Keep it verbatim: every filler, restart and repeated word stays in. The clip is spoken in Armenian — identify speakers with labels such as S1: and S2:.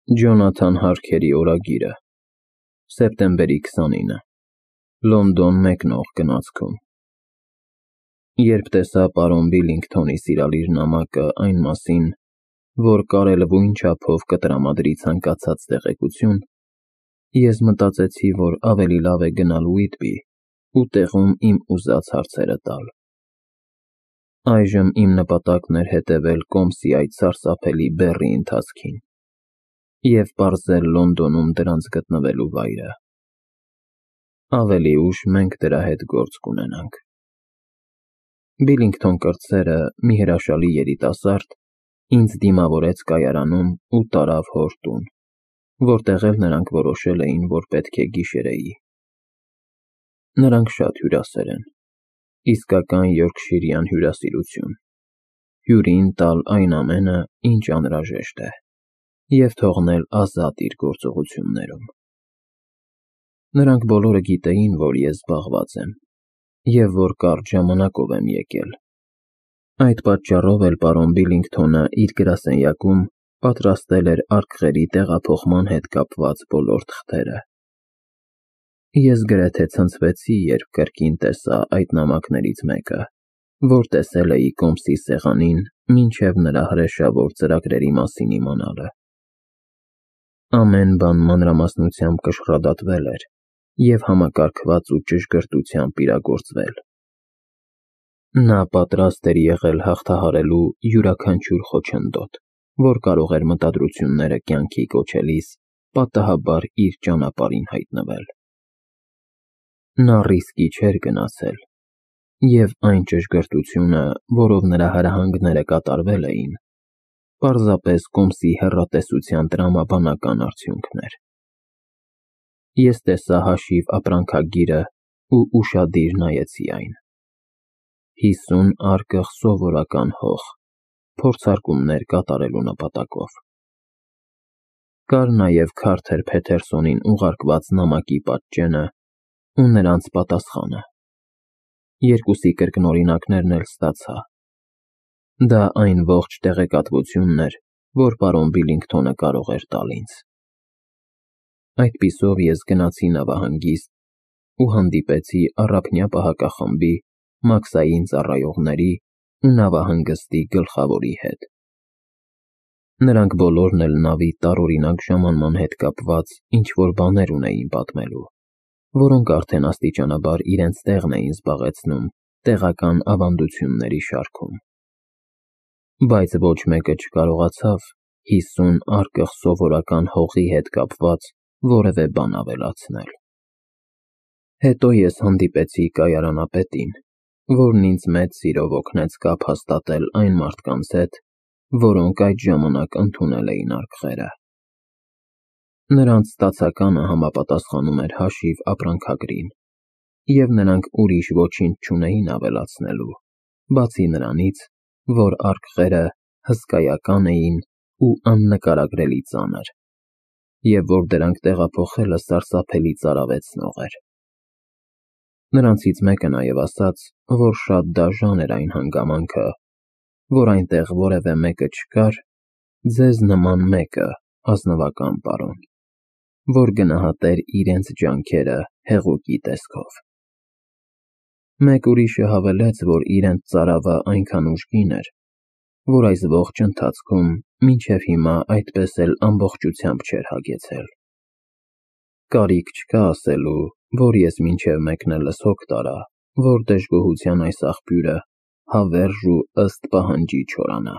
S1: Ջոնաթան Հարքերի օրագիրը, սեպտեմբերի քսանինը, Լոնդոն մեկնող գնացքում։ Երբ տեսա պարոն Բիլինգթոնի սիրալիր նամակը այն մասին, որ կարելվույն չափով կտրամադրի ցանկացած տեղեկություն, ես մտածեցի, որ ավելի լավ է գնալ Ուիտբի ու տեղում իմ ուզած հարցերը տալ։ Այժմ իմ նպատակն էր հետևել Կոմսի այդ սարսափելի բեռի ընթացքին և պարզել Լոնդոնում դրանց գտնվելու վայրը։ Ավելի ուշ մենք դրա հետ գործ կունենանք։ Բիլինգթոն կրտսերը, մի հրաշալի երիտասարդ, ինձ դիմավորեց կայարանում ու տարավ հոր տուն, որտեղ էլ նրանք որոշել էին, որ պետք է գիշերեի։ Նրանք շատ հյուրասեր են, իսկական յորքշիրյան հյուրասիրություն, հյուրին տալ այն ամենը, ինչ անհրաժեշտ է, և թողնել ազատ իր գործողություններում։ Նրանք բոլորը գիտեին, որ ես զբաղված եմ, և որ կարճ ժամանակով եմ եկել։ Այդ պատճառով էլ պարոն Բիլինգթոնը իր գրասենյակում պատրաստել էր արկղերի տեղափոխման հետ կապված բոլոր թղթերը։ Ես գրեթե ցնցվեցի, երբ կրկին տեսա այդ նամակներից մեկը, որ տեսել էի Կոմսի սեղանին մինչև նրա հրեշավոր ծրագրերի մասին իմանալը։ Ամեն բան մանրամասնությամբ կշռադատվել էր և համակարգված ու ճշգրտությամբ իրագործվել։ Նա պատրաստ էր եղել հաղթահարելու յուրաքանչյուր խոչընդոտ, որ կարող էր մտադրությունները կյանքի կոչելիս պատահաբար իր ճանապարհին հայտնվել։ Նա ռիսկի չէր գնացել, և այն ճշգրտությունը, որով նրա հրահանգները կատարվել էին, պարզապես Կոմսի հեռատեսության տրամաբանական արդյունքն էր։ Ես տեսա հաշիվ ապրանքագիրը ու ուշադիր նայեցի այն։ Հիսուն արկղ սովորական հող, փորձարկումներ կատարելու նպատակով։ Կար նաև Քարթեր Փեթերսոնին ուղարկված նամակի պատճենը ու նրանց պատասխանը։ Երկուսի կրկնօրինակներն էլ ստացա։ Դա այն ողջ տեղեկատվությունն էր, որ պարոն Բիլինգթոնը կարող էր տալ ինձ։ Այդպիսով ես գնացի նավահանգիստ ու հանդիպեցի առափնյա պահակախմբի, մաքսային ծառայողների ու նավահանգստի գլխավորի հետ։ Նրանք բոլորն էլ նավի տարօրինակ ժամանման հետ կապված ինչ-որ բաներ ունեին պատմելու, որոնք արդեն աստիճանաբար իրենց տեղն էին զբաղեցնում տեղական ավանդությունների շարքում։ Բայց ոչ մեկը չկարողացավ հիսուն արկղ սովորական հողի հետ կապված որևէ բան ավելացնել։ Հետո ես հանդիպեցի կայարանապետին, որն ինձ մեծ սիրով օգնեց կապ հաստատել այն մարդկանց հետ, որոնք այդ ժամանակ ընդունել էին արկղերը։ Նրանց ստացականը համապատասխանում էր հաշիվ ապրանքագրին, և նրանք ուրիշ ոչինչ չունեին ավելացնելու, բացի նրանից, որ արկղերը հսկայական էին ու աննկարագրելի ծանր, և որ դրանք տեղափոխելը սարսափելի ծարավեցնող էր։ Նրանցից մեկը նաև ասաց, որ շատ դաժան էր այն հանգամանքը, որ այնտեղ որևէ մեկը չկար, ձեզ նման մեկը, ազնվական պարոն, որ գնահատեր իրենց ջանքերը հեղուկի տեսքով։ Մեկ ուրիշը հավելեց, որ իրենց ծարավը այնքան ուժգին էր, որ այս ողջ ընթացքում մինչև հիմա այդպես էլ ամբողջությամբ չէր հագեցել։ Կարիք չկա ասելու, որ ես մինչև մեկնելս հոգ տարա, որ դժգոհության այս աղբյուրը հավերժ ու ըստ պահանջի չորանա։